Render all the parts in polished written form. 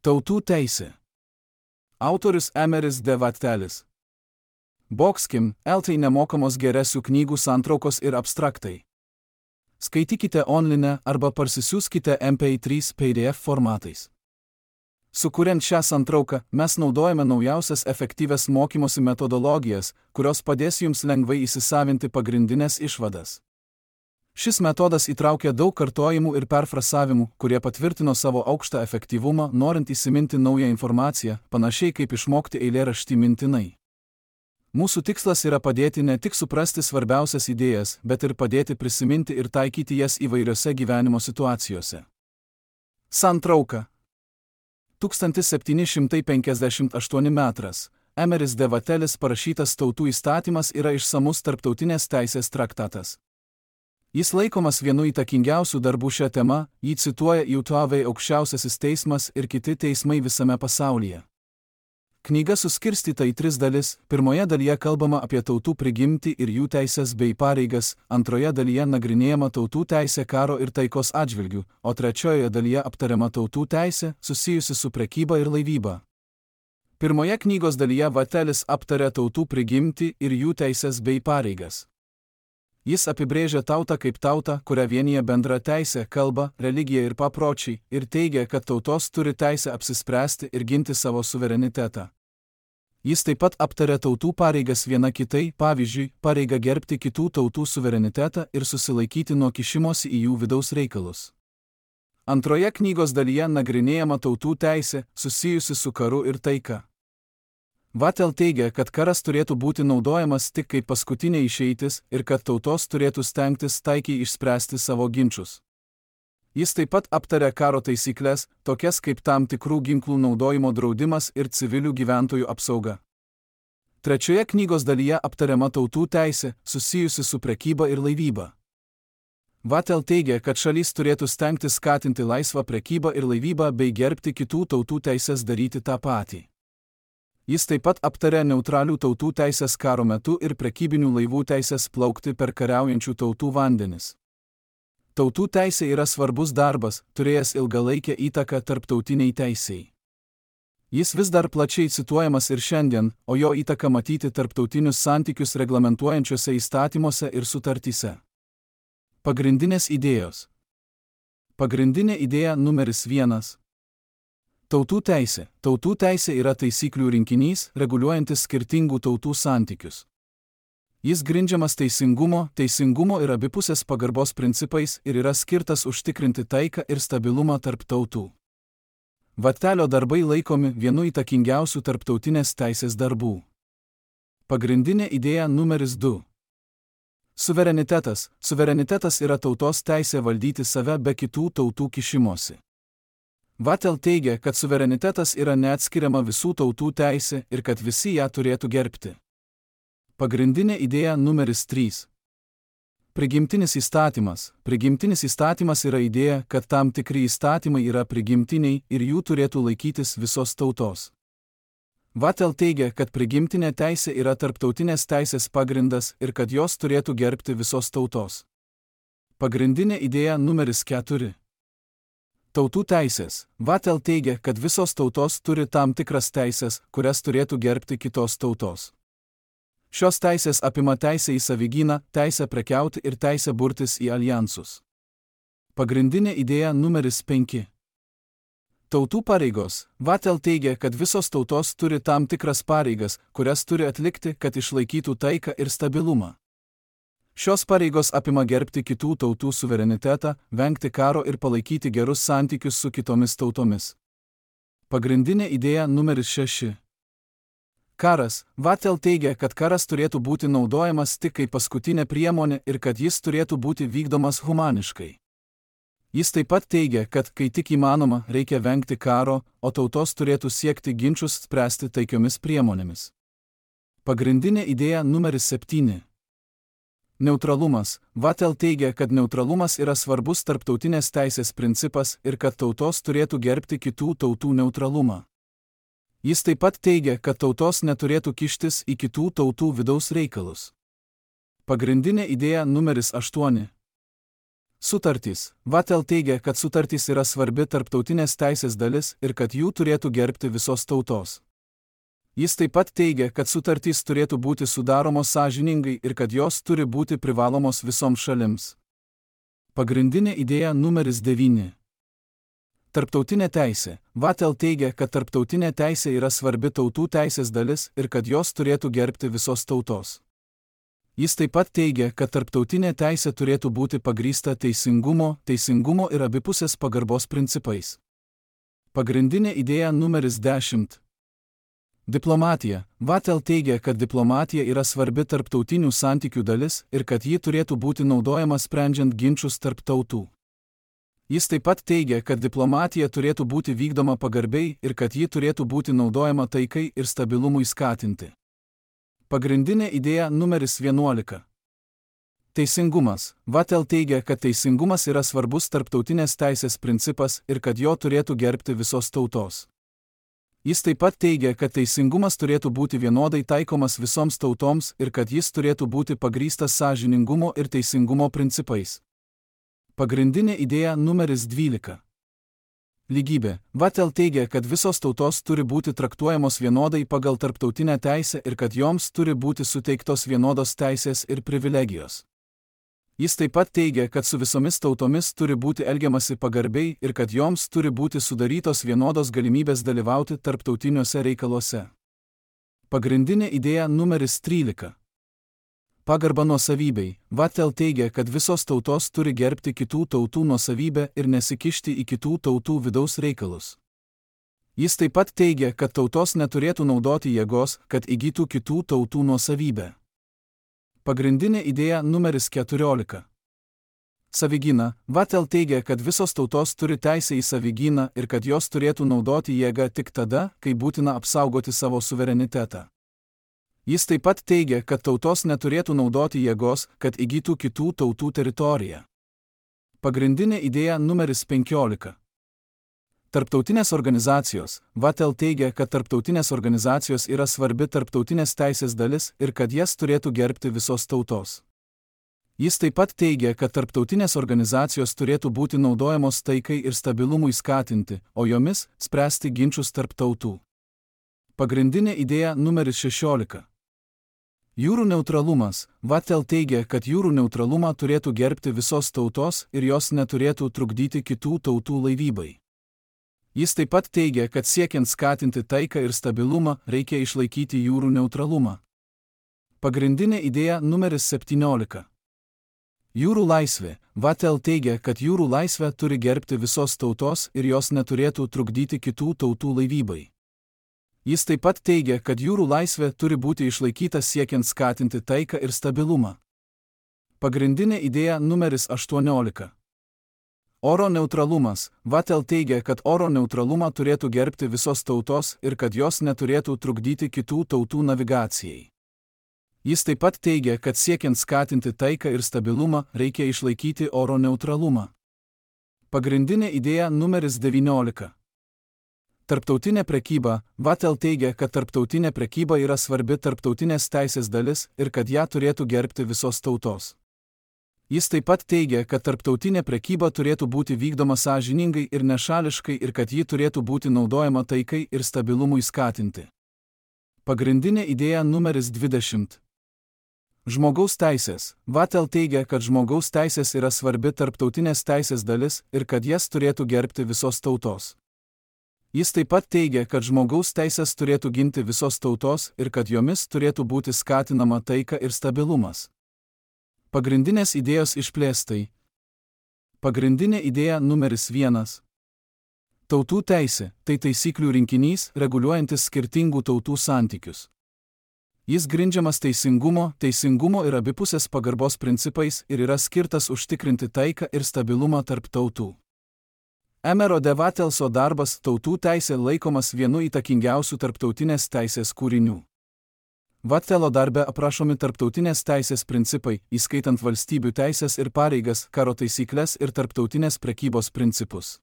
Tautų teisė. Autorius Emeris de Vattelis. Boxkim, LT nemokamos geresių knygų santraukos ir abstraktai. Skaitykite online arba parsisiųskite MP3 PDF formatais. Sukuriant šią santrauką, mes naudojame naujausias efektyvias mokymosi metodologijas, kurios padės jums lengvai įsisavinti pagrindinės išvadas. Šis metodas įtraukia daug kartojimų ir perfrazavimų, kurie patvirtino savo aukštą efektyvumą, norint įsiminti naują informaciją, panašiai kaip išmokti eilėraštį mintinai. Mūsų tikslas yra padėti ne tik suprasti svarbiausias idėjas, bet ir padėti prisiminti ir taikyti jas įvairiose gyvenimo situacijose. Santrauka. 1758 metras. Emeris de Vattelis parašytas Tautų įstatymas yra išsamus tarptautinės teisės traktatas. Jis laikomas vienu įtakingiausių darbų šią temą, jį cituoja JAV aukščiausiasis teismas ir kiti teismai visame pasaulyje. Knyga suskirstyta į 3 dalis, pirmoje dalyje kalbama apie tautų prigimtį ir jų teisės bei pareigas, antroje dalyje nagrinėjama tautų teisė karo ir taikos atžvilgių, o trečiojoje dalyje aptariama tautų teisė, susijusi su prekyba ir laivyba. Pirmoje knygos dalyje Vattelis aptarė tautų prigimtį ir jų teisės bei pareigas. Jis apibrėžia tautą kaip tautą, kurią vienyje bendra teisė, kalba, religija ir papročiai, ir teigia, kad tautos turi teisę apsispręsti ir ginti savo suverenitetą. Jis taip pat aptarė tautų pareigas viena kitai, pavyzdžiui, pareigą gerbti kitų tautų suverenitetą ir susilaikyti nuo kišimosi į jų vidaus reikalus. Antroje knygos dalyje nagrinėjama tautų teisė, susijusi su karu ir taika. Vattel teigia, kad karas turėtų būti naudojamas tik kaip paskutinė išeitis ir kad tautos turėtų stengtis taikiai išspręsti savo ginčus. Jis taip pat aptarė karo taisyklės, tokias kaip tam tikrų ginklų naudojimo draudimas ir civilių gyventojų apsauga. Trečioje knygos dalyje aptariama tautų teisė, susijusi su prekyba ir laivyba. Vattel teigia, kad šalis turėtų stengtis skatinti laisvą prekybą ir laivybą bei gerbti kitų tautų teisės daryti tą patį. Jis taip pat aptarė neutralių tautų teisės karo metu ir prekybinių laivų teisės plaukti per kariaujančių tautų vandenis. Tautų teisė yra svarbus darbas, turėjęs ilgalaikę įtaką tarptautiniai teisei. Jis vis dar plačiai cituojamas ir šiandien, o jo įtaka matyti tarptautinius santykius reglamentuojančiuose įstatymuose ir sutartyse. Pagrindinės idėjos. Pagrindinė idėja numeris 1. Tautų teisė. Tautų teisė yra taisyklių rinkinys, reguliuojantis skirtingų tautų santykius. Jis grindžiamas teisingumo ir abipusės pagarbos principais ir yra skirtas užtikrinti taiką ir stabilumą tarp tautų. Vattelio darbai laikomi vienu įtakingiausių tarptautinės teisės darbų. Pagrindinė idėja numeris 2. Suverenitetas. Suverenitetas yra tautos teisė valdyti save be kitų tautų kišimosi. Vattel teigia, kad suverenitetas yra neatskiriama visų tautų teisė ir kad visi ją turėtų gerbti. Pagrindinė idėja numeris 3. Prigimtinis įstatymas. Prigimtinis įstatymas yra idėja, kad tam tikri įstatymai yra prigimtiniai ir jų turėtų laikytis visos tautos. Vattel teigia, kad prigimtinė teisė yra tarptautinės teisės pagrindas ir kad jos turėtų gerbti visos tautos. Pagrindinė idėja numeris 4. Tautų teisės. Vattel teigia, kad visos tautos turi tam tikras teisės, kurias turėtų gerbti kitos tautos. Šios teisės apima teisę į savigyną, teisę prekiauti ir teisę burtis į aljansus. Pagrindinė idėja numeris 5. Tautų pareigos. Vattel teigia, kad visos tautos turi tam tikras pareigas, kurias turi atlikti, kad išlaikytų taiką ir stabilumą. Šios pareigos apima gerbti kitų tautų suverenitetą, vengti karo ir palaikyti gerus santykius su kitomis tautomis. Pagrindinė idėja numeris 6. Karas. Vattel teigia, kad karas turėtų būti naudojamas tik kaip paskutinė priemonė ir kad jis turėtų būti vykdomas humaniškai. Jis taip pat teigia, kad, kai tik įmanoma, reikia vengti karo, o tautos turėtų siekti ginčus spręsti taikiomis priemonėmis. Pagrindinė idėja numeris 7. Neutralumas. Vattel teigia, kad neutralumas yra svarbus tarptautinės teisės principas ir kad tautos turėtų gerbti kitų tautų neutralumą. Jis taip pat teigia, kad tautos neturėtų kištis į kitų tautų vidaus reikalus. Pagrindinė idėja numeris 8. Sutartys. Vattel teigia, kad sutartys yra svarbi tarptautinės teisės dalis ir kad jų turėtų gerbti visos tautos. Jis taip pat teigia, kad sutartys turėtų būti sudaromos sąžiningai ir kad jos turi būti privalomos visoms šalims. Pagrindinė idėja numeris 9. Tarptautinė teisė. Vattel teigia, kad tarptautinė teisė yra svarbi tautų teisės dalis ir kad jos turėtų gerbti visos tautos. Jis taip pat teigia, kad tarptautinė teisė turėtų būti pagrįsta teisingumo ir abipusės pagarbos principais. Pagrindinė idėja numeris 10. Diplomatija. Vattel teigia, kad diplomatija yra svarbi tarptautinių santykių dalis ir kad ji turėtų būti naudojama sprendžiant ginčus tarp tautų. Jis taip pat teigia, kad diplomatija turėtų būti vykdoma pagarbiai ir kad ji turėtų būti naudojama taikai ir stabilumui skatinti. Pagrindinė idėja numeris 11. Teisingumas. Vattel teigia, kad teisingumas yra svarbus tarptautinės teisės principas ir kad jo turėtų gerbti visos tautos. Jis taip pat teigia, kad teisingumas turėtų būti vienodai taikomas visoms tautoms ir kad jis turėtų būti pagrįstas sąžiningumo ir teisingumo principais. Pagrindinė idėja numeris 12. Lygybė. Vattel teigia, kad visos tautos turi būti traktuojamos vienodai pagal tarptautinę teisę ir kad joms turi būti suteiktos vienodos teisės ir privilegijos. Jis taip pat teigia, kad su visomis tautomis turi būti elgiamasi pagarbiai ir kad joms turi būti sudarytos vienodos galimybės dalyvauti tarptautiniuose reikaluose. Pagrindinė idėja numeris 13. Pagarba nuosavybei. Vattel teigia, kad visos tautos turi gerbti kitų tautų nuosavybę ir nesikišti į kitų tautų vidaus reikalus. Jis taip pat teigia, kad tautos neturėtų naudoti jėgos, kad įgytų kitų tautų nuosavybę. Pagrindinė idėja numeris 14. Savigyna. Vattel teigia, kad visos tautos turi teisę į savigyną ir kad jos turėtų naudoti jėgą tik tada, kai būtina apsaugoti savo suverenitetą. Jis taip pat teigia, kad tautos neturėtų naudoti jėgos, kad įgytų kitų tautų teritoriją. Pagrindinė idėja numeris 15. Tarptautinės organizacijos. Vattel teigia, kad tarptautinės organizacijos yra svarbi tarptautinės teisės dalis ir kad jas turėtų gerbti visos tautos. Jis taip pat teigia, kad tarptautinės organizacijos turėtų būti naudojamos taikai ir stabilumui skatinti, o jomis spręsti ginčus tarp tautų. Pagrindinė idėja numeris 16. Jūrų neutralumas. Vattel teigia, kad jūrų neutralumą turėtų gerbti visos tautos ir jos neturėtų trukdyti kitų tautų laivybai. Jis taip pat teigia, kad siekiant skatinti taiką ir stabilumą, reikia išlaikyti jūrų neutralumą. Pagrindinė idėja numeris 17. Jūrų laisvė. Vattel teigia, kad jūrų laisvę turi gerbti visos tautos ir jos neturėtų trukdyti kitų tautų laivybai. Jis taip pat teigia, kad jūrų laisvė turi būti išlaikyta siekiant skatinti taiką ir stabilumą. Pagrindinė idėja numeris 18. Oro neutralumas. Vattel teigia, kad oro neutralumą turėtų gerbti visos tautos ir kad jos neturėtų trukdyti kitų tautų navigacijai. Jis taip pat teigia, kad siekiant skatinti taiką ir stabilumą, reikia išlaikyti oro neutralumą. Pagrindinė idėja numeris 19. Tarptautinė prekyba. Vattel teigia, kad tarptautinė prekyba yra svarbi tarptautinės teisės dalis ir kad ją turėtų gerbti visos tautos. Jis taip pat teigia, kad tarptautinė prekyba turėtų būti vykdoma sąžiningai ir nešališkai ir kad ji turėtų būti naudojama taikai ir stabilumui skatinti. Pagrindinė idėja numeris 20. Žmogaus teisės. Vattel teigia, kad žmogaus teisės yra svarbi tarptautinės teisės dalis ir kad jas turėtų gerbti visos tautos. Jis taip pat teigia, kad žmogaus teisės turėtų ginti visos tautos ir kad jomis turėtų būti skatinama taika ir stabilumas. Pagrindinės idėjos išplėstai. Pagrindinė idėja numeris 1. Tautų teisė – tai taisyklių rinkinys, reguliuojantis skirtingų tautų santykius. Jis grindžiamas teisingumo ir abipusės pagarbos principais ir yra skirtas užtikrinti taiką ir stabilumą tarp tautų. Emerio de Vattelso darbas Tautų teisė laikomas vienu įtakingiausių tarptautinės teisės kūrinių. Vattelo darbe aprašomi tarptautinės teisės principai, įskaitant valstybių teisės ir pareigas, karo taisyklės ir tarptautinės prekybos principus.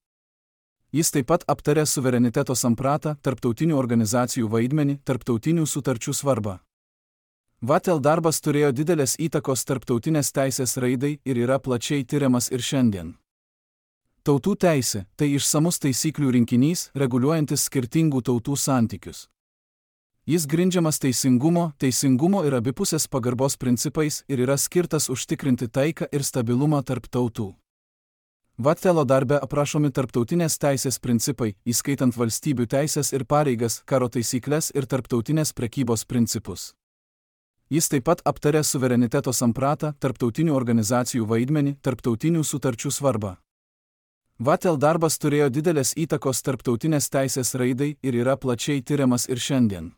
Jis taip pat aptarė suvereniteto sampratą, tarptautinių organizacijų vaidmenį, tarptautinių sutarčių svarbą. Vattel darbas turėjo didelės įtakos tarptautinės teisės raidai ir yra plačiai tiriamas ir šiandien. Tautų teisė – tai išsamus taisyklių rinkinys, reguliuojantis skirtingų tautų santykius. Jis grindžiamas teisingumo ir abipusės pagarbos principais ir yra skirtas užtikrinti taiką ir stabilumą tarp tautų. Vattelo darbe aprašomi tarptautinės teisės principai, įskaitant valstybių teisės ir pareigas, karo taisykles ir tarptautinės prekybos principus. Jis taip pat aptarė suvereniteto sampratą, tarptautinių organizacijų vaidmenį, tarptautinių sutarčių svarbą. Vattel darbas turėjo didelės įtakos tarptautinės teisės raidai ir yra plačiai tiriamas ir šiandien.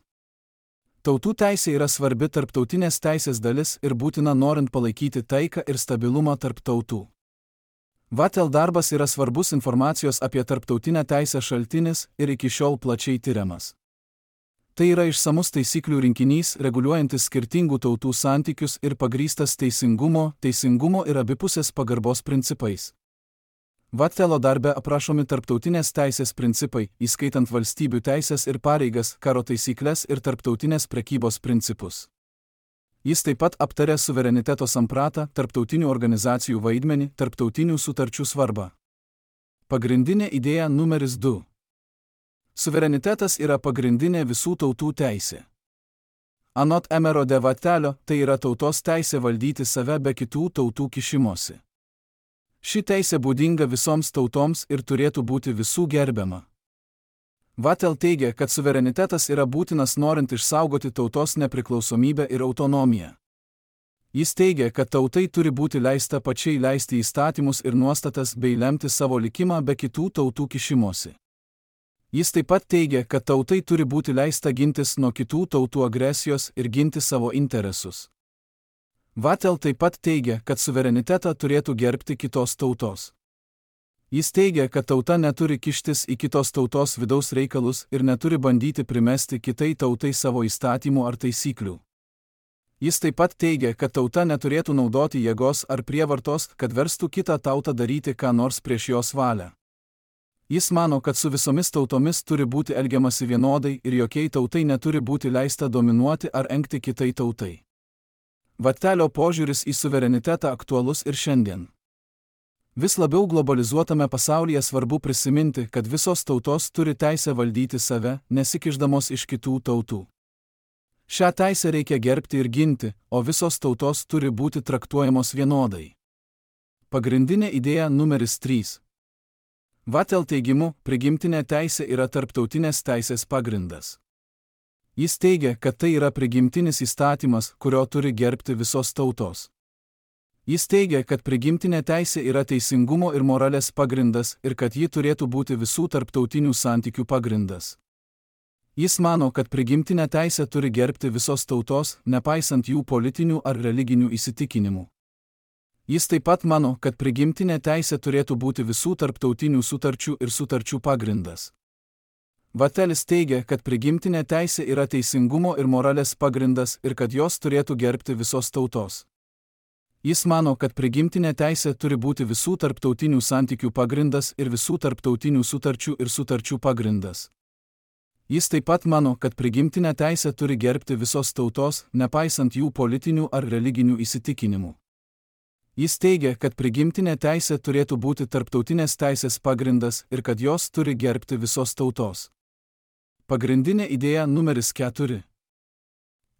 Tautų teisė yra svarbi tarptautinės teisės dalis ir būtina norint palaikyti taiką ir stabilumą tarp tautų. Vattel darbas yra svarbus informacijos apie tarptautinę teisę šaltinis ir iki šiol plačiai tiriamas. Tai yra išsamus taisyklių rinkinys, reguliuojantis skirtingų tautų santykius ir pagrįstas teisingumo ir abipusės pagarbos principais. Vattelo darbe aprašomi tarptautinės teisės principai, įskaitant valstybių teisės ir pareigas, karo taisykles ir tarptautinės prekybos principus. Jis taip pat aptarė suvereniteto sampratą, tarptautinių organizacijų vaidmenį, tarptautinių sutarčių svarbą. Pagrindinė idėja numeris 2. Suverenitetas yra pagrindinė visų tautų teisė. Anot Emerio de Vattelio, tai yra tautos teisė valdyti save be kitų tautų kišimosi. Ši teisė būdinga visoms tautoms ir turėtų būti visų gerbiama. Vattel teigia, kad suverenitetas yra būtinas norint išsaugoti tautos nepriklausomybę ir autonomiją. Jis teigia, kad tautai turi būti leista pačiai leisti įstatymus ir nuostatas bei lemti savo likimą be kitų tautų kišimosi. Jis taip pat teigia, kad tautai turi būti leista gintis nuo kitų tautų agresijos ir ginti savo interesus. Vattel taip pat teigia, kad suverenitetą turėtų gerbti kitos tautos. Jis teigia, kad tauta neturi kištis į kitos tautos vidaus reikalus ir neturi bandyti primesti kitai tautai savo įstatymų ar taisyklių. Jis taip pat teigia, kad tauta neturėtų naudoti jėgos ar prievartos, kad verstų kitą tautą daryti ką nors prieš jos valią. Jis mano, kad su visomis tautomis turi būti elgiamasi vienodai ir jokiai tautai neturi būti leista dominuoti ar engti kitai tautai. Vattelio požiūris į suverenitetą aktualus ir šiandien. Vis labiau globalizuotame pasaulyje svarbu prisiminti, kad visos tautos turi teisę valdyti save, nesikišdamos iš kitų tautų. Šią teisę reikia gerbti ir ginti, o visos tautos turi būti traktuojamos vienodai. Pagrindinė idėja numeris 3. Vattel teigimu, prigimtinė teisė yra tarptautinės teisės pagrindas. Jis teigia, kad tai yra prigimtinis įstatymas, kurio turi gerbti visos tautos. Jis teigia, kad prigimtinė teisė yra teisingumo ir moralės pagrindas ir kad ji turėtų būti visų tarptautinių santykių pagrindas. Jis mano, kad prigimtinę teisę turi gerbti visos tautos, nepaisant jų politinių ar religinių įsitikinimų. Jis taip pat mano, kad prigimtinė teisė turėtų būti visų tarptautinių sutarčių ir sutarčių pagrindas. Vattelis teigia, kad prigimtinė teisė yra teisingumo ir moralės pagrindas ir kad jos turėtų gerbti visos tautos. Jis mano, kad prigimtinė teisė turi būti visų tarptautinių santykių pagrindas ir visų tarptautinių sutarčių ir sutarčių pagrindas. Jis taip pat mano, kad prigimtinė teisė turi gerbti visos tautos, nepaisant jų politinių ar religinių įsitikinimų. Jis teigia, kad prigimtinė teisė turėtų būti tarptautinės teisės pagrindas ir kad jos turi gerbti visos tautos. Pagrindinė idėja numeris 4.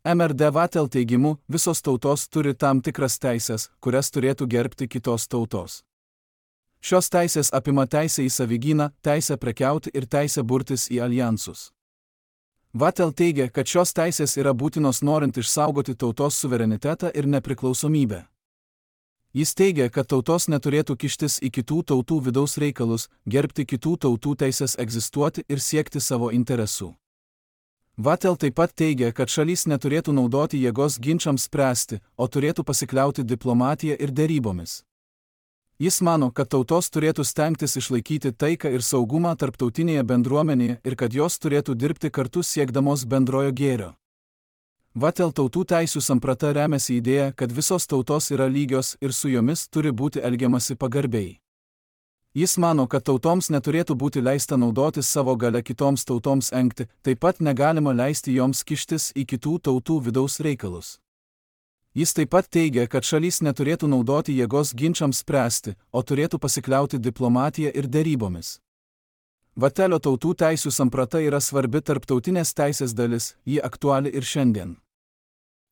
Emerio de Vattel teigimu, visos tautos turi tam tikras teisės, kurias turėtų gerbti kitos tautos. Šios teisės apima teisę į savigyną, teisę prekiauti ir teisę burtis į aljansus. Vattel teigia, kad šios teisės yra būtinos norint išsaugoti tautos suverenitetą ir nepriklausomybę. Jis teigia, kad tautos neturėtų kištis į kitų tautų vidaus reikalus, gerbti kitų tautų teisės egzistuoti ir siekti savo interesų. Vattel taip pat teigia, kad šalys neturėtų naudoti jėgos ginčams spręsti, o turėtų pasikliauti diplomatiją ir derybomis. Jis mano, kad tautos turėtų stengtis išlaikyti taiką ir saugumą tarptautinėje bendruomenėje ir kad jos turėtų dirbti kartu siekdamos bendrojo gėrio. Vattel tautų teisių samprata remiasi idėja, kad visos tautos yra lygios ir su jomis turi būti elgiamasi pagarbiai. Jis mano, kad tautoms neturėtų būti leista naudotis savo galia kitoms tautoms engti, taip pat negalima leisti joms kištis į kitų tautų vidaus reikalus. Jis taip pat teigia, kad šalys neturėtų naudoti jėgos ginčams spręsti, o turėtų pasikliauti diplomatiją ir derybomis. Vatelio tautų teisių samprata yra svarbi tarptautinės teisės dalis, ji aktuali ir šiandien.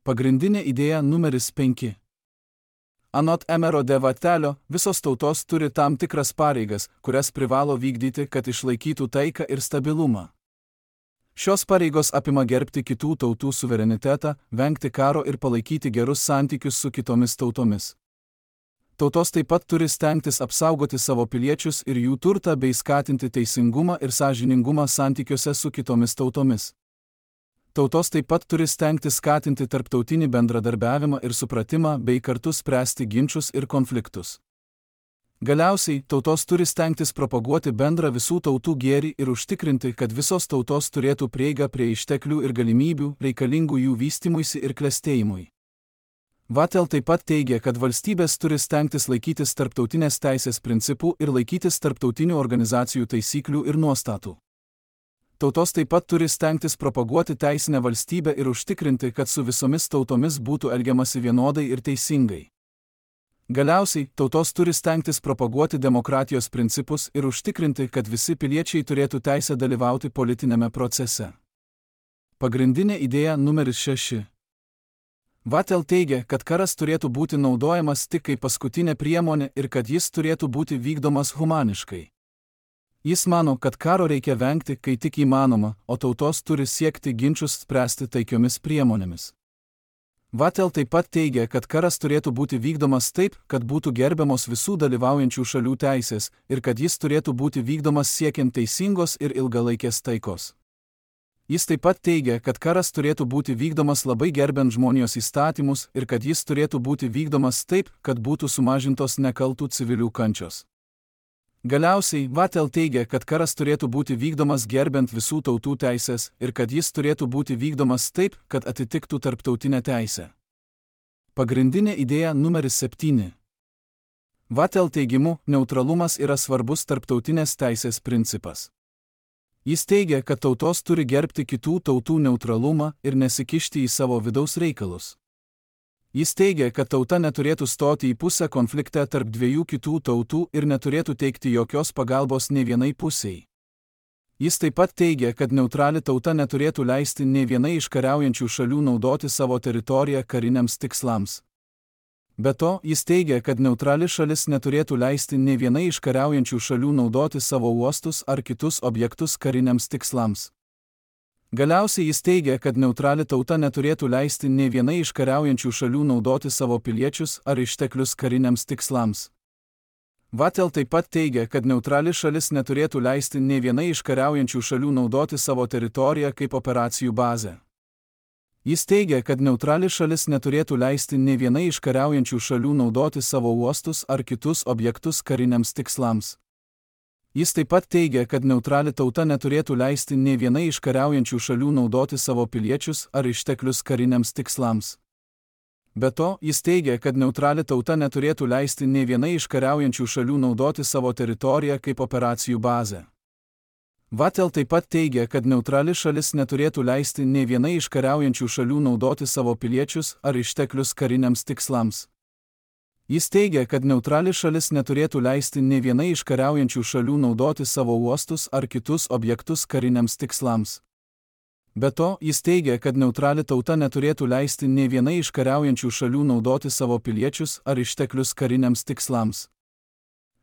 Pagrindinė idėja numeris 5. Anot Emero de Vatelio, visos tautos turi tam tikras pareigas, kurias privalo vykdyti, kad išlaikytų taiką ir stabilumą. Šios pareigos apima gerbti kitų tautų suverenitetą, vengti karo ir palaikyti gerus santykius su kitomis tautomis. Tautos taip pat turi stengtis apsaugoti savo piliečius ir jų turtą bei skatinti teisingumą ir sąžiningumą santykiuose su kitomis tautomis. Tautos taip pat turi stengtis skatinti tarptautinį bendradarbiavimą ir supratimą bei kartu spręsti ginčus ir konfliktus. Galiausiai, tautos turi stengtis propaguoti bendrą visų tautų gėrį ir užtikrinti, kad visos tautos turėtų prieigą prie išteklių ir galimybių, reikalingų jų vystymuisi ir klestėjimui. Vatel taip pat teigia, kad valstybės turi stengtis laikytis tarptautinės teisės principų ir laikytis tarptautinių organizacijų taisyklių ir nuostatų. Tautos taip pat turi stengtis propaguoti teisinę valstybę ir užtikrinti, kad su visomis tautomis būtų elgiamasi vienodai ir teisingai. Galiausiai, tautos turi stengtis propaguoti demokratijos principus ir užtikrinti, kad visi piliečiai turėtų teisę dalyvauti politinėme procese. Pagrindinė idėja numeris 6. Vatel teigia, kad karas turėtų būti naudojamas tik kaip paskutinė priemonė ir kad jis turėtų būti vykdomas humaniškai. Jis mano, kad karo reikia vengti, kai tik įmanoma, o tautos turi siekti ginčus spręsti taikiomis priemonėmis. Vatel taip pat teigia, kad karas turėtų būti vykdomas taip, kad būtų gerbiamos visų dalyvaujančių šalių teisės ir kad jis turėtų būti vykdomas siekiant teisingos ir ilgalaikės taikos. Jis taip pat teigia, kad karas turėtų būti vykdomas labai gerbiant žmonijos įstatymus ir kad jis turėtų būti vykdomas taip, kad būtų sumažintos nekaltų civilių kančios. Galiausiai, Vatel teigia, kad karas turėtų būti vykdomas gerbiant visų tautų teisės ir kad jis turėtų būti vykdomas taip, kad atitiktų tarptautinę teisę. Pagrindinė idėja numeris 7. Vatel teigimu, neutralumas yra svarbus tarptautinės teisės principas. Jis teigia, kad tautos turi gerbti kitų tautų neutralumą ir nesikišti į savo vidaus reikalus. Jis teigia, kad tauta neturėtų stoti į pusę konflikte tarp dviejų kitų tautų ir neturėtų teikti jokios pagalbos nei vienai pusiai. Jis taip pat teigia, kad neutrali tauta neturėtų leisti nei vienai iš kariaujančių šalių naudoti savo teritoriją kariniams tikslams. Be to, jis teigia, kad neutrali šalis neturėtų leisti nei vienai iš kariaujančių šalių naudoti savo uostus ar kitus objektus kariniams tikslams. Galiausiai jis teigia, kad neutrali tauta neturėtų leisti nei vienai iš kariaujančių šalių naudoti savo piliečius ar išteklius kariniams tikslams. Vatel taip pat teigia, kad neutrali šalis neturėtų leisti nei vienai iš kariaujančių šalių naudoti savo teritoriją kaip operacijų bazę. Jis teigia, kad neutrali šalis neturėtų leisti nei vienai iš kariaujančių šalių naudoti savo uostus ar kitus objektus kariniams tikslams. Jis taip pat teigia, kad neutrali tauta neturėtų leisti nei vienai iš kariaujančių šalių naudoti savo piliečius ar išteklius kariniams tikslams. Be to, jis teigia, kad neutrali tauta neturėtų leisti nei vienai iš kariaujančių šalių naudoti savo teritoriją kaip operacijų bazę. Vatel taip pat teigia, kad neutrali šalis neturėtų leisti nei vienai iš kariaujančių šalių naudoti savo piliečius ar išteklius kariniams tikslams. Jis teigia, kad neutrali šalis neturėtų leisti nei vienai iš kariaujančių šalių naudoti savo uostus ar kitus objektus kariniams tikslams. Be to, jis teigia, kad neutrali tauta neturėtų leisti nei vienai iš kariaujančių šalių naudoti savo piliečius ar išteklius kariniams tikslams.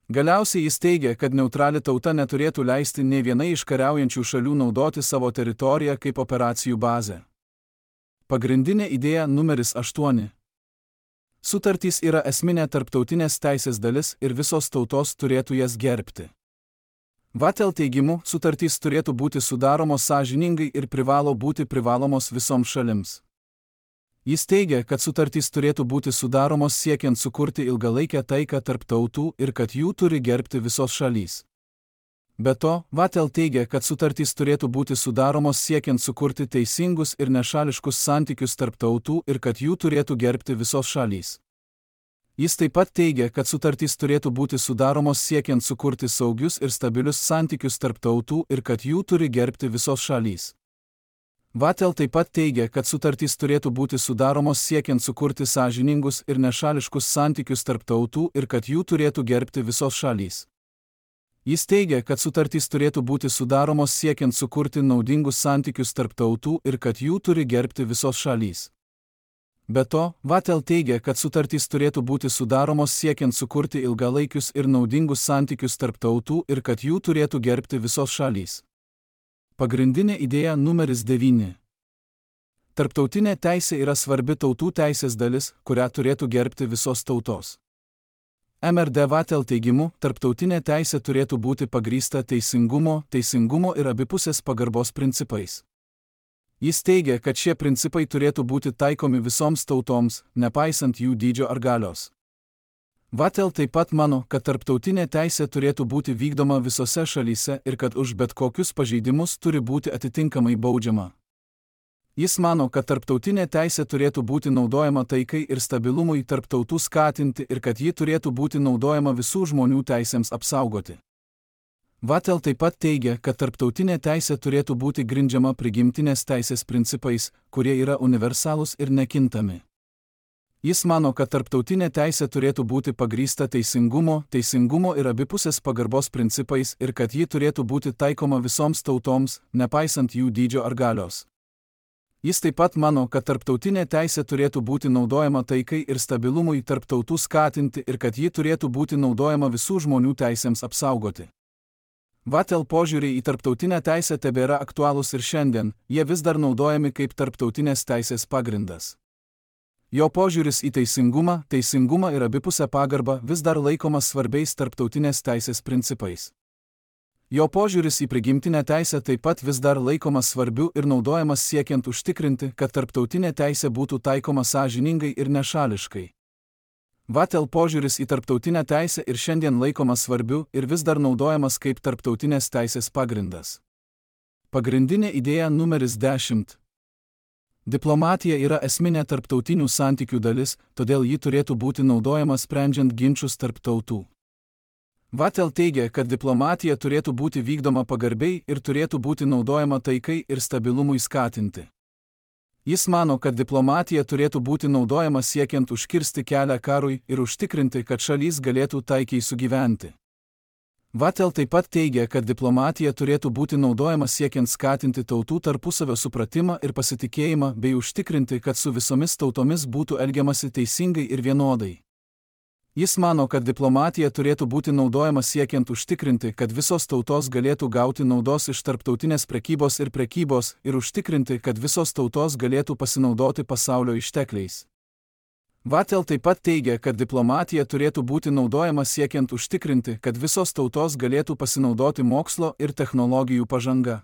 Galiausiai jis teigia, kad neutrali tauta neturėtų leisti nei vienai iš kariaujančių šalių naudoti savo teritoriją kaip operacijų bazę. Pagrindinė idėja numeris 8. Sutartys yra esminė tarptautinės teisės dalis ir visos tautos turėtų jas gerbti. Vatel teigimu, sutartys turėtų būti sudaromos sąžiningai ir privalo būti privalomos visoms šalims. Jis teigia, kad sutartys turėtų būti sudaromos siekiant sukurti ilgalaikę taiką tarp tautų ir kad jų turi gerbti visos šalys. Be to, Vatel teigia, kad sutartys turėtų būti sudaromos siekiant sukurti teisingus ir nešališkus santykius tarp tautų ir kad jų turėtų gerbti visos šalys. Jis taip pat teigia, kad sutartys turėtų būti sudaromos siekiant sukurti saugius ir stabilius santykius tarp tautų ir kad jų turi gerbti visos šalys. Vatel taip pat teigia, kad sutartys turėtų būti sudaromos siekiant sukurti sąžiningus ir nešališkus santykius tarp tautų ir kad jų turėtų gerbti visos šalys. Jis teigia, kad sutartys turėtų būti sudaromos siekiant sukurti naudingus santykius tarp tautų ir kad jų turi gerbti visos šalys. Be to, Vatel teigia, kad sutartys turėtų būti sudaromos siekiant sukurti ilgalaikius ir naudingus santykius tarp tautų ir kad jų turėtų gerbti visos šalys. Pagrindinė idėja numeris 9. Tarptautinė teisė yra svarbi tautų teisės dalis, kurią turėtų gerbti visos tautos. MRD Vatel teigimu, tarptautinė teisė turėtų būti pagrįsta teisingumo ir abipusės pagarbos principais. Jis teigia, kad šie principai turėtų būti taikomi visoms tautoms, nepaisant jų dydžio ar galios. Vatel taip pat mano, kad tarptautinė teisė turėtų būti vykdoma visose šalyse ir kad už bet kokius pažeidimus turi būti atitinkamai baudžiama. Jis mano, kad tarptautinė teisė turėtų būti naudojama taikai ir stabilumui tarp tautų skatinti ir kad ji turėtų būti naudojama visų žmonių teisėms apsaugoti. Vatel taip pat teigia, kad tarptautinė teisė turėtų būti grindžiama prigimtinės teisės principais, kurie yra universalūs ir nekintami. Jis mano, kad tarptautinė teisė turėtų būti pagrįsta teisingumo ir abipusės pagarbos principais ir kad ji turėtų būti taikoma visoms tautoms, nepaisant jų dydžio ar galios. Jis taip pat mano, kad tarptautinė teisė turėtų būti naudojama taikai ir stabilumui tarp tautų skatinti ir kad ji turėtų būti naudojama visų žmonių teisėms apsaugoti. Vatel požiūriai į tarptautinę teisę tebėra aktualūs ir šiandien, jie vis dar naudojami kaip tarptautinės teisės pagrindas. Jo požiūris į teisingumą ir abipusę pagarbą vis dar laikomas svarbiais tarptautinės teisės principais. Jo požiūris į prigimtinę teisę taip pat vis dar laikomas svarbiu ir naudojamas siekiant užtikrinti, kad tarptautinė teisė būtų taikoma sąžiningai ir nešališkai. Vatel požiūris į tarptautinę teisę ir šiandien laikomas svarbiu ir vis dar naudojamas kaip tarptautinės teisės pagrindas. Pagrindinė idėja numeris 10. Diplomatija yra esminė tarptautinių santykių dalis, todėl ji turėtų būti naudojama sprendžiant ginčus tarp tautų. Vatel teigia, kad diplomatija turėtų būti vykdoma pagarbiai ir turėtų būti naudojama taikai ir stabilumui skatinti. Jis mano, kad diplomatija turėtų būti naudojama siekiant užkirsti kelią karui ir užtikrinti, kad šalys galėtų taikiai sugyventi. Vatel taip pat teigia, kad diplomatija turėtų būti naudojama siekiant skatinti tautų tarpusavio supratimą ir pasitikėjimą bei užtikrinti, kad su visomis tautomis būtų elgiamasi teisingai ir vienodai. Jis mano, kad diplomatija turėtų būti naudojama siekiant užtikrinti, kad visos tautos galėtų gauti naudos iš tarptautinės prekybos ir užtikrinti, kad visos tautos galėtų pasinaudoti pasaulio ištekliais. Vatel taip pat teigia, kad diplomatija turėtų būti naudojama siekiant užtikrinti, kad visos tautos galėtų pasinaudoti mokslo ir technologijų pažanga.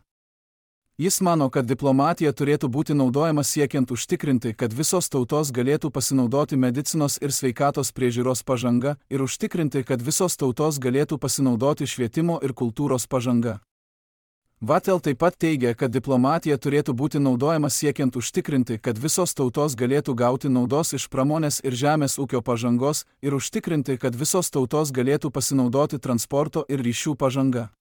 Jis mano, kad diplomatija turėtų būti naudojama siekiant užtikrinti, kad visos tautos galėtų pasinaudoti medicinos ir sveikatos priežiūros pažanga ir užtikrinti, kad visos tautos galėtų pasinaudoti švietimo ir kultūros pažanga. Vatel taip pat teigia, kad diplomatija turėtų būti naudojama siekiant užtikrinti, kad visos tautos galėtų gauti naudos iš pramonės ir žemės ūkio pažangos ir užtikrinti, kad visos tautos galėtų pasinaudoti transporto ir ryšių pažanga.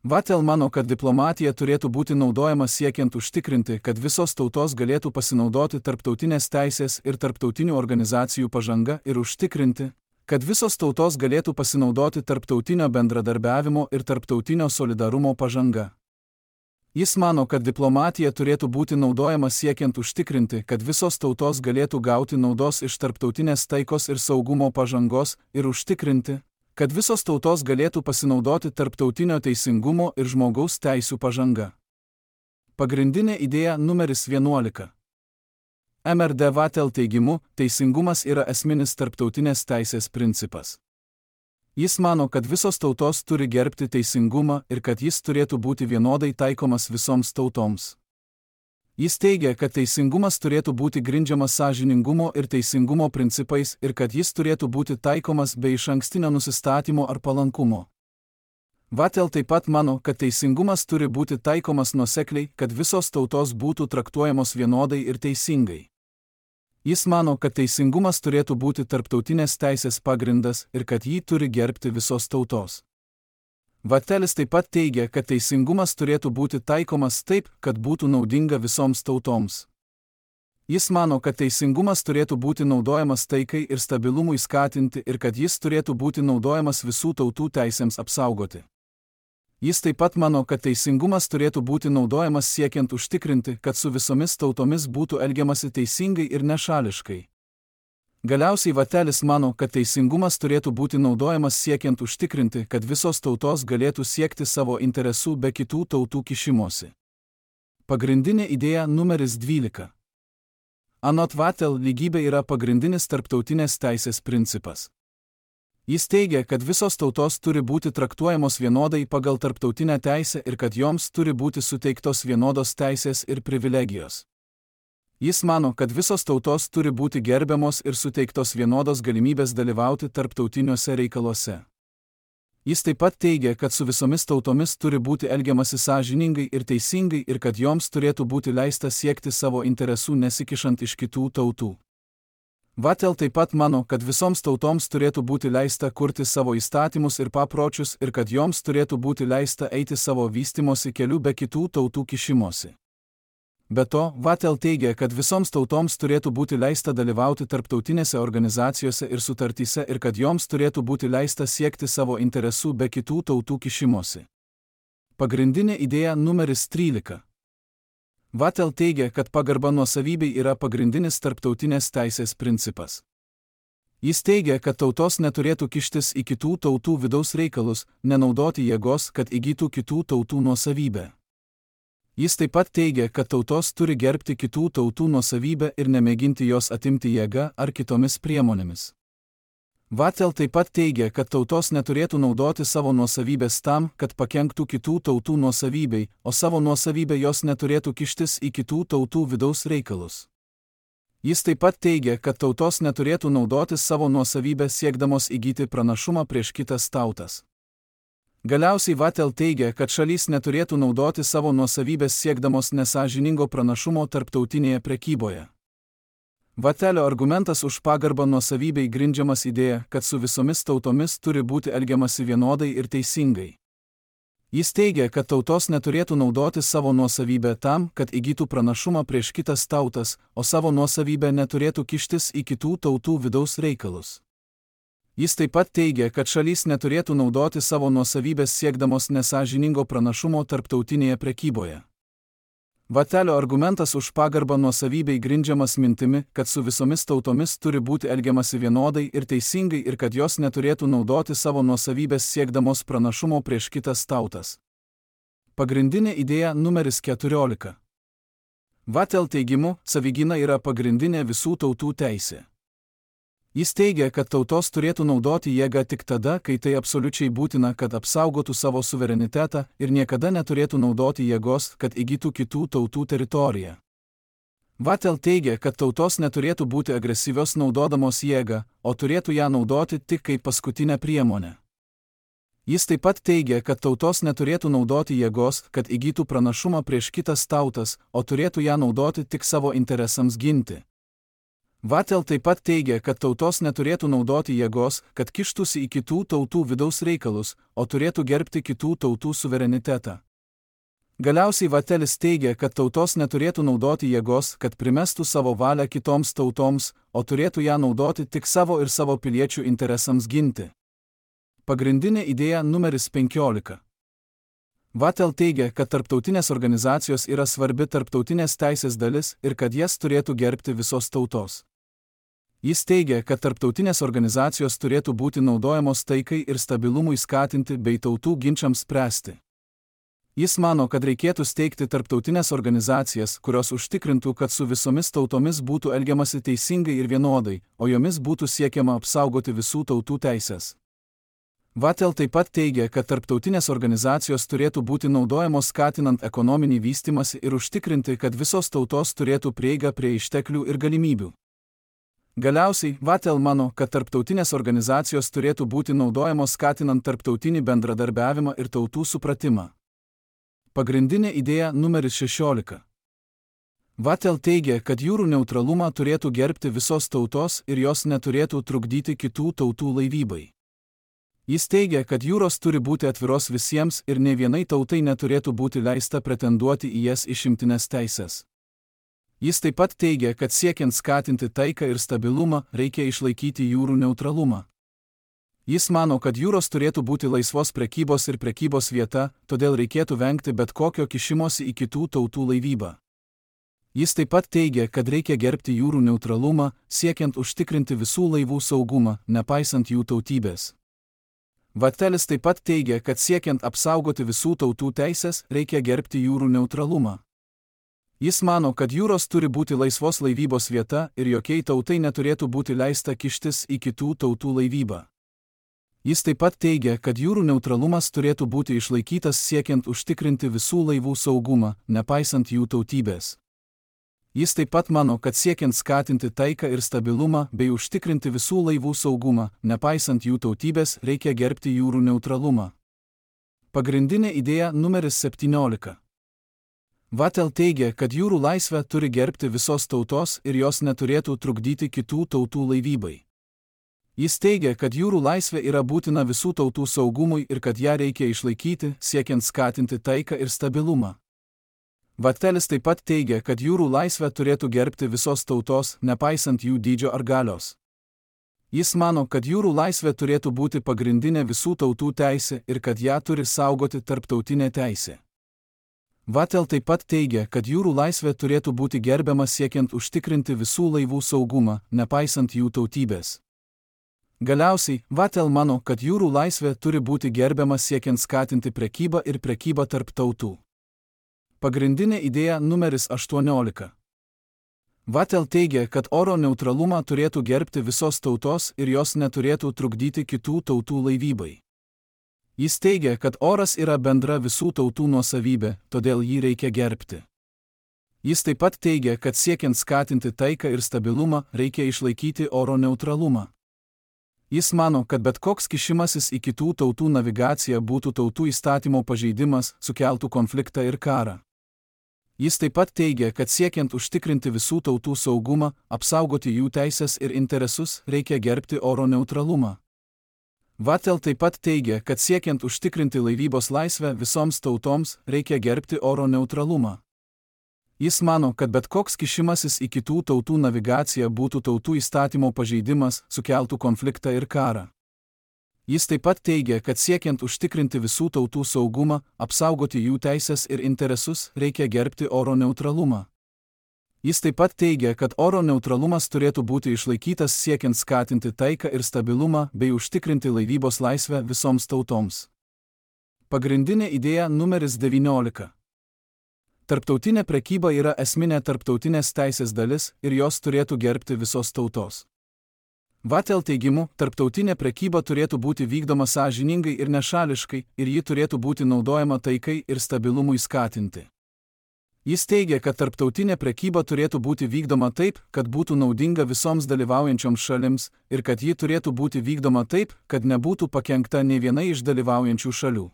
Vatel mano, kad diplomatija turėtų būti naudojama siekiant užtikrinti, kad visos tautos galėtų pasinaudoti tarptautinės teisės ir tarptautinių organizacijų pažanga ir užtikrinti, kad visos tautos galėtų pasinaudoti tarptautinio bendradarbiavimo ir tarptautinio solidarumo pažanga. Jis mano, kad diplomatija turėtų būti naudojama siekiant užtikrinti, kad visos tautos galėtų gauti naudos iš tarptautinės taikos ir saugumo pažangos ir užtikrinti, kad visos tautos galėtų pasinaudoti tarptautinio teisingumo ir žmogaus teisių pažanga. Pagrindinė idėja numeris 11. MRD Vatel teigimu, teisingumas yra esminis tarptautinės teisės principas. Jis mano, kad visos tautos turi gerbti teisingumą ir kad jis turėtų būti vienodai taikomas visoms tautoms. Jis teigia, kad teisingumas turėtų būti grindžiamas sąžiningumo ir teisingumo principais ir kad jis turėtų būti taikomas be išankstinio nusistatymo ar palankumo. Vatel taip pat mano, kad teisingumas turi būti taikomas nuosekliai, kad visos tautos būtų traktuojamos vienodai ir teisingai. Jis mano, kad teisingumas turėtų būti tarptautinės teisės pagrindas ir kad jį turi gerbti visos tautos. Vatelis taip pat teigia, kad teisingumas turėtų būti taikomas taip, kad būtų naudinga visoms tautoms. Jis mano, kad teisingumas turėtų būti naudojamas taikai ir stabilumui skatinti ir kad jis turėtų būti naudojamas visų tautų teisėms apsaugoti. Jis taip pat mano, kad teisingumas turėtų būti naudojamas siekiant užtikrinti, kad su visomis tautomis būtų elgiamasi teisingai ir nešališkai. Galiausiai Vatelis mano, kad teisingumas turėtų būti naudojamas siekiant užtikrinti, kad visos tautos galėtų siekti savo interesų be kitų tautų kišimosi. Pagrindinė idėja numeris 12. Anot Vatel, lygybė yra pagrindinis tarptautinės teisės principas. Jis teigia, kad visos tautos turi būti traktuojamos vienodai pagal tarptautinę teisę ir kad joms turi būti suteiktos vienodos teisės ir privilegijos. Jis mano, kad visos tautos turi būti gerbiamos ir suteiktos vienodos galimybės dalyvauti tarptautiniuose reikaluose. Jis taip pat teigia, kad su visomis tautomis turi būti elgiamasi sąžiningai ir teisingai ir kad joms turėtų būti leista siekti savo interesų nesikišant iš kitų tautų. Vatel taip pat mano, kad visoms tautoms turėtų būti leista kurti savo įstatymus ir papročius ir kad joms turėtų būti leista eiti savo vystimosi keliu be kitų tautų kišimosi. Be to, Vatel teigia, kad visoms tautoms turėtų būti leista dalyvauti tarptautinėse organizacijose ir sutartyse ir kad joms turėtų būti leista siekti savo interesų be kitų tautų kišimosi. Pagrindinė idėja numeris 13. Vatel teigia, kad pagarba nuosavybei yra pagrindinis tarptautinės teisės principas. Jis teigia, kad tautos neturėtų kištis į kitų tautų vidaus reikalus, nenaudoti jėgos, kad įgytų kitų tautų nuosavybę. Jis taip pat teigia, kad tautos turi gerbti kitų tautų nuosavybę ir nemėginti jos atimti jėga ar kitomis priemonėmis. Vatel taip pat teigia, kad tautos neturėtų naudoti savo nuosavybės tam, kad pakenktų kitų tautų nuosavybei, o savo nuosavybę jos neturėtų kištis į kitų tautų vidaus reikalus. Jis taip pat teigia, kad tautos neturėtų naudoti savo nuosavybę siekdamos įgyti pranašumą prieš kitas tautas. Galiausiai Vatel teigia, kad šalys neturėtų naudoti savo nuosavybės siekdamos nesąžiningo pranašumo tarptautinėje prekyboje. Vatelio argumentas už pagarbą nuosavybei grindžiamas idėja, kad su visomis tautomis turi būti elgiamasi vienodai ir teisingai. Jis teigia, kad tautos neturėtų naudoti savo nuosavybę tam, kad įgytų pranašumą prieš kitas tautas, o savo nuosavybę neturėtų kištis į kitų tautų vidaus reikalus. Jis taip pat teigia, kad šalys neturėtų naudoti savo nuosavybės siekdamos nesąžiningo pranašumo tarptautinėje prekyboje. Vatelio argumentas už pagarbą nuosavybei grindžiamas mintimi, kad su visomis tautomis turi būti elgiamasi vienodai ir teisingai ir kad jos neturėtų naudoti savo nuosavybės siekdamos pranašumo prieš kitas tautas. Pagrindinė idėja numeris 14. Vatel teigimu, savigyna yra pagrindinė visų tautų teisė. Jis teigia, kad tautos turėtų naudoti jėgą tik tada, kai tai absoliučiai būtina, kad apsaugotų savo suverenitetą ir niekada neturėtų naudoti jėgos, kad įgytų kitų tautų teritoriją. Vatel teigia, kad tautos neturėtų būti agresyvios naudodamos jėgą, o turėtų ją naudoti tik kaip paskutinę priemonę. Jis taip pat teigia, kad tautos neturėtų naudoti jėgos, kad įgytų pranašumą prieš kitas tautas, o turėtų ją naudoti tik savo interesams ginti. Vatel taip pat teigia, kad tautos neturėtų naudoti jėgos, kad kištųsi į kitų tautų vidaus reikalus, o turėtų gerbti kitų tautų suverenitetą. Galiausiai Vatelis teigia, kad tautos neturėtų naudoti jėgos, kad primestų savo valią kitoms tautoms, o turėtų ją naudoti tik savo ir savo piliečių interesams ginti. Pagrindinė idėja numeris 15. Vatel teigia, kad tarptautinės organizacijos yra svarbi tarptautinės teisės dalis ir kad jas turėtų gerbti visos tautos. Jis teigia, kad tarptautinės organizacijos turėtų būti naudojamos taikai ir stabilumui skatinti bei tautų ginčiams spręsti. Jis mano, kad reikėtų steigti tarptautinės organizacijas, kurios užtikrintų, kad su visomis tautomis būtų elgiamasi teisingai ir vienodai, o jomis būtų siekiama apsaugoti visų tautų teisės. Vatel taip pat teigia, kad tarptautinės organizacijos turėtų būti naudojamos skatinant ekonominį vystymąsi ir užtikrinti, kad visos tautos turėtų prieigą prie išteklių ir galimybių. Galiausiai, Vatel mano, kad tarptautinės organizacijos turėtų būti naudojamos skatinant tarptautinį bendradarbiavimą ir tautų supratimą. Pagrindinė idėja numeris 16. Vatel teigia, kad jūrų neutralumą turėtų gerbti visos tautos ir jos neturėtų trukdyti kitų tautų laivybai. Jis teigia, kad jūros turi būti atviros visiems ir ne vienai tautai neturėtų būti leista pretenduoti į jas išimtines teises. Jis taip pat teigia, kad siekiant skatinti taiką ir stabilumą, reikia išlaikyti jūrų neutralumą. Jis mano, kad jūros turėtų būti laisvos prekybos ir prekybos vieta, todėl reikėtų vengti bet kokio kišimosi į kitų tautų laivybą. Jis taip pat teigia, kad reikia gerbti jūrų neutralumą, siekiant užtikrinti visų laivų saugumą, nepaisant jų tautybės. Vattelis taip pat teigia, kad siekiant apsaugoti visų tautų teises, reikia gerbti jūrų neutralumą. Jis mano, kad jūros turi būti laisvos laivybos vieta ir jokiai tautai neturėtų būti leista kištis į kitų tautų laivybą. Jis taip pat teigia, kad jūrų neutralumas turėtų būti išlaikytas siekiant užtikrinti visų laivų saugumą, nepaisant jų tautybės. Jis taip pat mano, kad siekiant skatinti taiką ir stabilumą bei užtikrinti visų laivų saugumą, nepaisant jų tautybės, reikia gerbti jūrų neutralumą. Pagrindinė idėja numeris 17. Vattel teigia, kad jūrų laisvę turi gerbti visos tautos ir jos neturėtų trukdyti kitų tautų laivybai. Jis teigia, kad jūrų laisvė yra būtina visų tautų saugumui ir kad ją reikia išlaikyti, siekiant skatinti taiką ir stabilumą. Vattelis taip pat teigia, kad jūrų laisvę turėtų gerbti visos tautos, nepaisant jų dydžio ar galios. Jis mano, kad jūrų laisvė turėtų būti pagrindinė visų tautų teisė ir kad ją turi saugoti tarptautinė teisė. Vattel taip pat teigia, kad jūrų laisvė turėtų būti gerbiama siekiant užtikrinti visų laivų saugumą, nepaisant jų tautybės. Galiausiai, Vattel mano, kad jūrų laisvė turi būti gerbiama siekiant skatinti prekybą ir prekybą tarp tautų. Pagrindinė idėja numeris 18. Vattel teigia, kad oro neutralumą turėtų gerbti visos tautos ir jos neturėtų trukdyti kitų tautų laivybai. Jis teigia, kad oras yra bendra visų tautų nuosavybė, todėl jį reikia gerbti. Jis taip pat teigia, kad siekiant skatinti taiką ir stabilumą, reikia išlaikyti oro neutralumą. Jis mano, kad bet koks kišimasis į kitų tautų navigaciją būtų tautų įstatymo pažeidimas, sukeltų konfliktą ir karą. Jis taip pat teigia, kad siekiant užtikrinti visų tautų saugumą, apsaugoti jų teisės ir interesus, reikia gerbti oro neutralumą. Vattel taip pat teigia, kad siekiant užtikrinti laivybos laisvę visoms tautoms, reikia gerbti oro neutralumą. Jis mano, kad bet koks kišimasis į kitų tautų navigaciją būtų tautų įstatymo pažeidimas, sukeltų konfliktą ir karą. Jis taip pat teigia, kad siekiant užtikrinti visų tautų saugumą, apsaugoti jų teisės ir interesus, reikia gerbti oro neutralumą. Jis taip pat teigia, kad oro neutralumas turėtų būti išlaikytas siekiant skatinti taiką ir stabilumą bei užtikrinti laivybos laisvę visoms tautoms. Pagrindinė idėja numeris 19. Tarptautinė prekyba yra esminė tarptautinės teisės dalis ir jos turėtų gerbti visos tautos. Vattel teigimu, tarptautinė prekyba turėtų būti vykdoma sąžiningai ir nešališkai ir ji turėtų būti naudojama taikai ir stabilumui skatinti. Jis teigia, kad tarptautinė prekyba turėtų būti vykdoma taip, kad būtų naudinga visoms dalyvaujančioms šalims ir kad ji turėtų būti vykdoma taip, kad nebūtų pakenkta nė vienai iš dalyvaujančių šalių.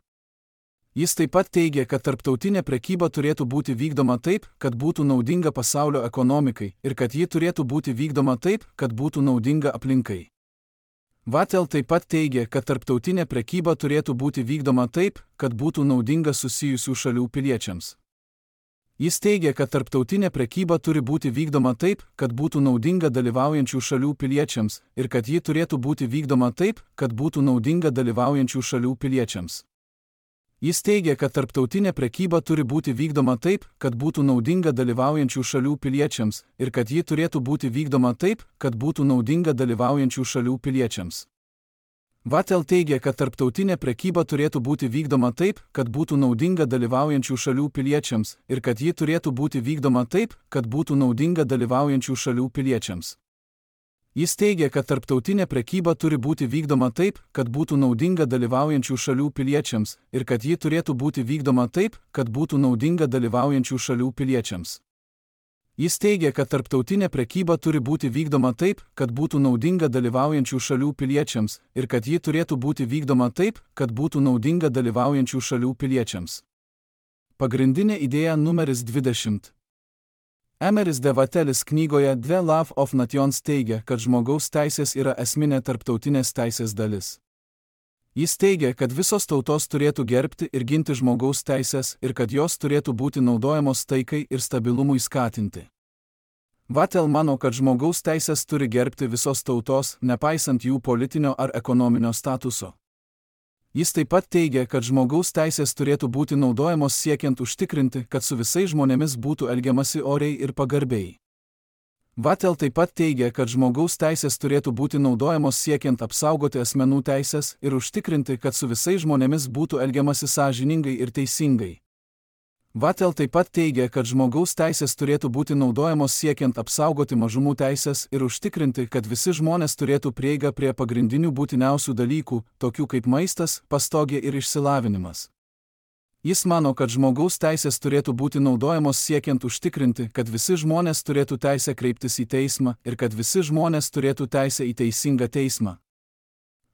Jis taip pat teigia, kad tarptautinė prekyba turėtų būti vykdoma taip, kad būtų naudinga pasaulio ekonomikai ir kad ji turėtų būti vykdoma taip, kad būtų naudinga aplinkai. Vattel taip pat teigia, kad tarptautinė prekyba turėtų būti vykdoma taip, kad būtų naudinga susijusių šalių piliečiams. Jis teigia, kad tarptautinė prekyba turi būti vykdoma taip, kad būtų naudinga dalyvaujančių šalių piliečiams ir kad ji turėtų būti vykdoma taip, kad būtų naudinga dalyvaujančių šalių piliečiams. Jis teigia, kad tarptautinė prekyba turi būti vykdoma taip, kad būtų naudinga dalyvaujančių šalių piliečiams ir kad ji turėtų būti vykdoma taip, kad būtų naudinga dalyvaujančių šalių piliečiams. Vattel teigia, kad tarptautinė prekyba turėtų būti vykdoma taip, kad būtų naudinga dalyvaujančių šalių piliečiams ir kad ji turėtų būti vykdoma taip, kad būtų naudinga dalyvaujančių šalių piliečiams. Jis teigia, kad tarptautinė prekyba turi būti vykdoma taip, kad būtų naudinga dalyvaujančių šalių piliečiams ir kad ji turėtų būti vykdoma taip, kad būtų naudinga dalyvaujančių šalių piliečiams. Jis teigia, kad tarptautinė prekyba turi būti vykdoma taip, kad būtų naudinga dalyvaujančių šalių piliečiams ir kad ji turėtų būti vykdoma taip, kad būtų naudinga dalyvaujančių šalių piliečiams. Pagrindinė idėja numeris 20. Emeris de Vattelis knygoje The Love of Nations teigia, kad žmogaus teisės yra esminė tarptautinės teisės dalis. Jis teigia, kad visos tautos turėtų gerbti ir ginti žmogaus teisės ir kad jos turėtų būti naudojamos taikai ir stabilumui skatinti. Vattel mano, kad žmogaus teisės turi gerbti visos tautos, nepaisant jų politinio ar ekonominio statuso. Jis taip pat teigia, kad žmogaus teisės turėtų būti naudojamos siekiant užtikrinti, kad su visais žmonėmis būtų elgiamasi oriai ir pagarbiai. Vattel taip pat teigia, kad žmogaus teisės turėtų būti naudojamos siekiant apsaugoti asmenų teisės ir užtikrinti, kad su visais žmonėmis būtų elgiamasi sąžiningai ir teisingai. Vattel taip pat teigia, kad žmogaus teisės turėtų būti naudojamos siekiant apsaugoti mažumų teisės ir užtikrinti, kad visi žmonės turėtų prieigą prie pagrindinių būtiniausių dalykų, tokių kaip maistas, pastogė ir išsilavinimas. Jis mano, kad žmogaus teisės turėtų būti naudojamos siekiant užtikrinti, kad visi žmonės turėtų teisę kreiptis į teismą ir kad visi žmonės turėtų teisę į teisingą teismą.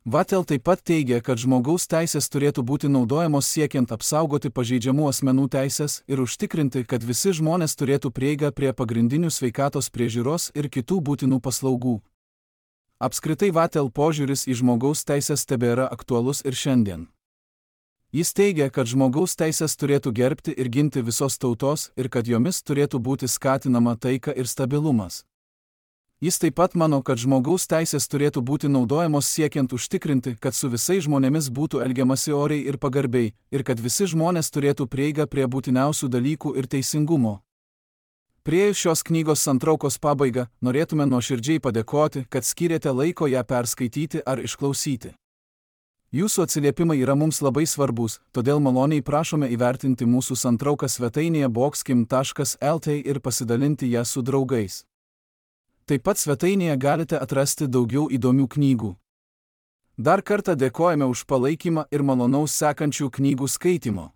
Vattel taip pat teigia, kad žmogaus teisės turėtų būti naudojamos siekiant apsaugoti pažeidžiamų asmenų teisės ir užtikrinti, kad visi žmonės turėtų prieigą prie pagrindinių sveikatos priežiūros ir kitų būtinų paslaugų. Apskritai Vattel požiūris į žmogaus teisės tebėra aktualus ir šiandien. Jis teigia, kad žmogaus teisės turėtų gerbti ir ginti visos tautos ir kad jomis turėtų būti skatinama taika ir stabilumas. Jis taip pat mano, kad žmogaus teisės turėtų būti naudojamos siekiant užtikrinti, kad su visais žmonėmis būtų elgiamasi oriai ir pagarbiai, ir kad visi žmonės turėtų prieigą prie būtiniausių dalykų ir teisingumo. Priėjus šios knygos santraukos pabaigą, norėtume nuoširdžiai padėkoti, kad skyrėte laiko ją perskaityti ar išklausyti. Jūsų atsiliepimai yra mums labai svarbus, todėl maloniai prašome įvertinti mūsų santrauką svetainėje boxkim.lt ir pasidalinti ją su draugais. Taip pat svetainėje galite atrasti daugiau įdomių knygų. Dar kartą dėkojame už palaikymą ir malonaus sekančių knygų skaitimo.